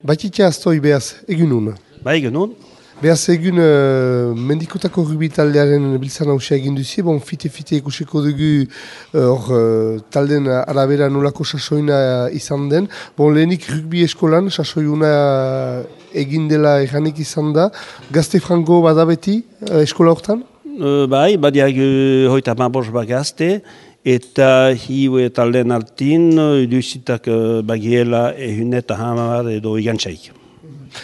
Batitia aztoi behaz, egunun. Bai, egun. Behaz egun mendikotako rugbi taldearen biltzan hausia egin duzie, bon, fite ikusiko dugu talden arabera nolako sasoina izan den. Bon, lehenik rugbi eskolan sasoiuna egin dela erranik izan da. Gazte frango badabeti eskola hortan? Bai, badiak hoita mabos bagazte, eta hiu talden artin, iduzitak bagiela ehuneta hamar edo igantzaik.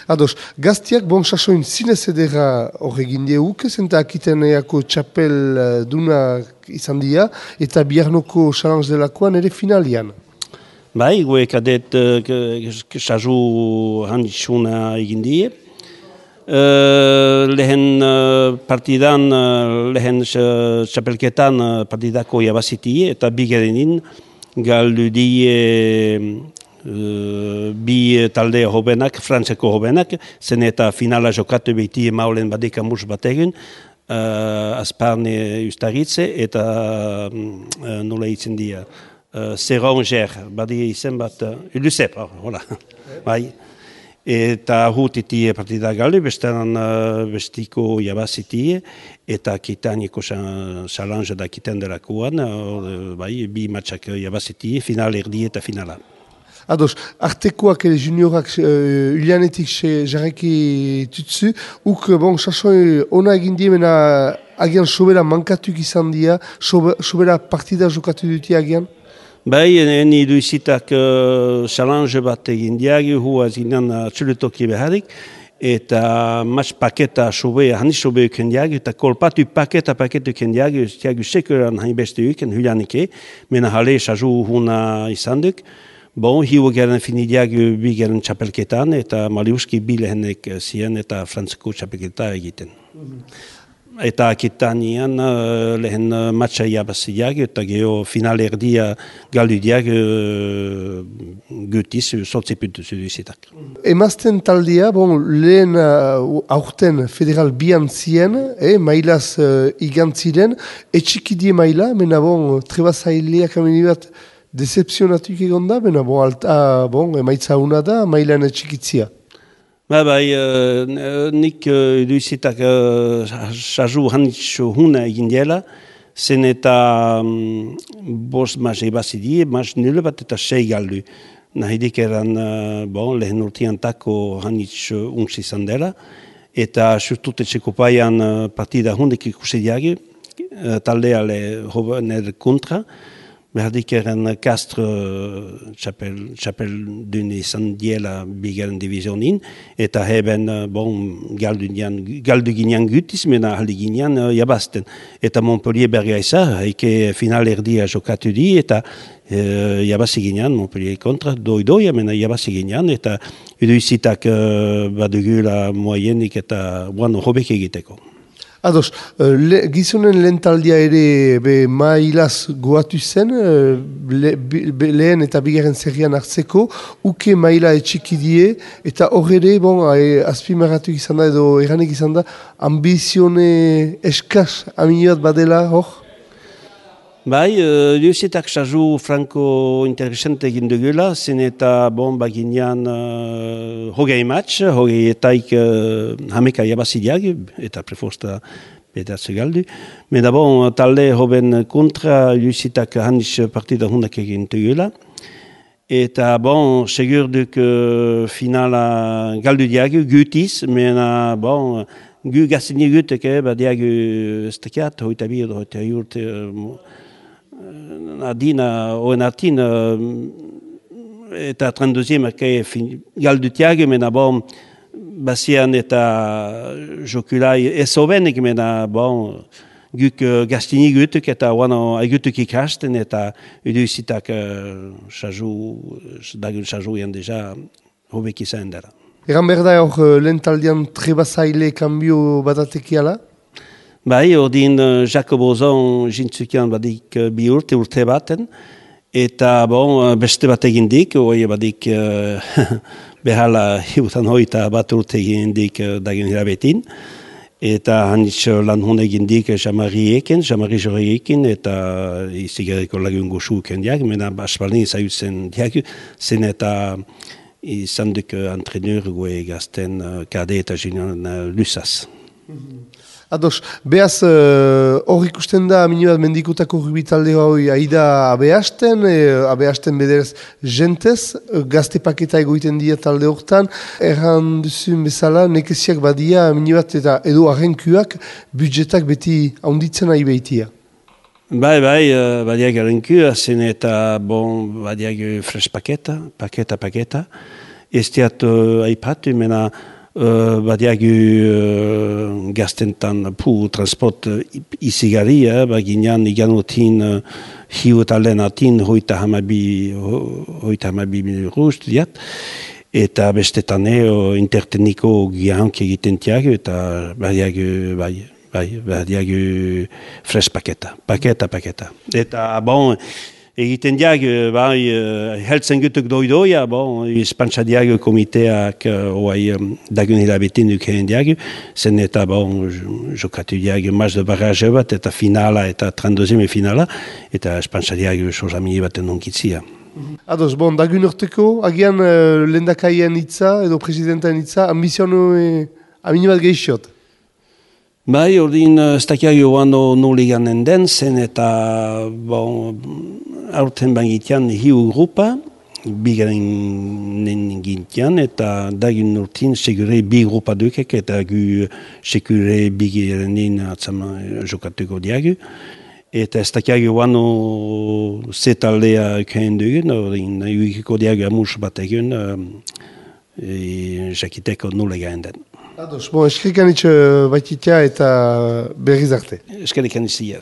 Ados, gaztiak bon sasoin zinez edera horregin diehuk, zenta akiten eako txapel duna izan dira, eta biharnoko challenge delakoan ere finalian. Bai, gue kadet sasu handitsuna egin die. Lehen partidan, lehen txapelketan partidako jabazitie, eta bigerenin galdu die bi talde hobenak, frantzeko hobenak, zen eta finala jokatu behiti maulen badeka mus bat egin, azparne ustaritze eta nola itzen dira, Zeranger, badi izen bat, Lusep, hola, bai. Eta hutitie partida galdu, bestean bestiko jabazitie, eta kitaniko challenge da kiten delakoan, bai, bi matxak jabazitie, final erdi eta finala. Ados, artekoak ere juniorak ulianetik jarreki tutsu, bon, sasoi ona egin diemena agian sobera mankatuk izan dia, sobera partida jokatu duti agian? Bai, eni duizitak challenge bat egin diagi, hua zinan txuletoki beharik, eta mas paketa sobe, hani sobe uken diagi, eta kolpatu paketa uken diagi, tiagu sekuran hain beste uken, hulianike, mena hale sazu huna izan duk. Bon, hiu garen finidiagi bi garen txapelketan, eta maliuski bi lehenek zien eta frantzeko txapelketa egiten. Eta akitanian lehen matxa jabaziak, eta geho final erdia galdudiak gutiz, sortzi puntu zuduzitak. Emazten taldia, bon, lehen aurten federal bian zien, mailaz igantziren, etxikidie maila, mena bon, trebazaileak amenibat decepzionatuk egon da, bena bon, emaitza una da, mailan etxikitzia. Bai, nik duizitak sazu handitxo huna egin diela, zen eta bost maz ebazidie, maz nile bat eta sei galdu. Nahidik eran, bon, lehen urtean tako handitxo unx izan dela, eta surtutetxeko paian partida hundek ikusidiagi, taldeale hobener kontra, berdik eren Castre txapel dune izan diela bigaren divizionin, eta heben galdu ginean gutiz, mena haldi ginean jabazten. Eta Montpellier berga izan, haike final erdia jokatu di, eta jabazi ginean, Montpellier kontra, doi-doi, mena jabazi ginean, eta iduizitak badugula moaienik eta hobek egiteko. Ados, gizonen lehen taldia ere mailaz goatu zen, lehen eta bigarren zerrian hartzeko, uke maila etxikidie, eta horre, bon, azpimarratu izan da edo erranik izan da, ambizione eskas aminoat badela hor? Bai, duzitak sazu franko interesante egin dugula, zen eta baginean hogei match, hogei etaik hameka jabazidiak, eta preforsta pedatze galdu. Meda talde hoben kontra duzitak handiz partida hundak egin dugula. Eta segur duk finala galdu diagu, gutiz, mena gu gazini guteke, badiagu estekiat, hoita bi edo hoita urte, Adina, oen artin, eta 32e galdutiak, mena bazian eta jokulai ezobenik, mena guk gaztini gutuk eta aigutuk ikasten, eta iduzitak dagun sajuian deja hobek izan dara. Egan berda hor lehen taldean trebazaile kanbio badatekiala? Bai, ordin Jacob Ozon jintzukian badik bi urte baten, eta beste bat egindik, hoi badik behala hiutan hoita bat urte egindik dagen hirabetin, eta hanitz lan hon egindik Jamari Jorriekin, eta izigarriko lagun goxuken diak, mena aspaldin zaiutzen diak, zen eta izan duk antreneur gue gazten kade eta junior lusaz. Ados, behaz, hor ikusten da, minibat mendikutako rugbitalde hori aida abehasten bederez jentez, gazte paketa egoiten dira talde hortan, erran duzun bezala, nekeziak badia, minibat eta edo arrenkuak, budjetak beti haunditzen nahi behitia. Bai, badiak arrenku, zen eta, badiak fresh paketa. Ez diat aipatu, mena, badiagu gaztentan transport izigari, baginan iganotin hiut alenatin hoita hamabi rust diat, eta bestetan interteniko gihank egiten tiago, eta badiagu fresh paketa. Eta egiten diag, heltzen gutuk doidoia, espantsa diag komiteak dagun hilabetin duken diag, zen eta jokatu diag maz de barraje bat, eta finala, eta 32e finala, eta espantsa diag sozamini baten onkitzia. Ados, dagun urteko, agian lendakaien hitza, edo presidenten hitza, ambizionu aminibat gehiagot? Bai, ordin ez dakiak joan noliganen den, zen eta aurten bangitean hiu grupa, bigaren gintean, eta dagun urtin segure bi grupa dukek, eta gu segure bigirenin atzama jokatuko diagu. Eta ez dakiak joan zetaldea ukain dugun, ordin uikiko diagu amus bat egun, jakiteko noliganen den. Ados, eskerrik anitz baititia eta berriz arte. Eskerrik anitz ziar.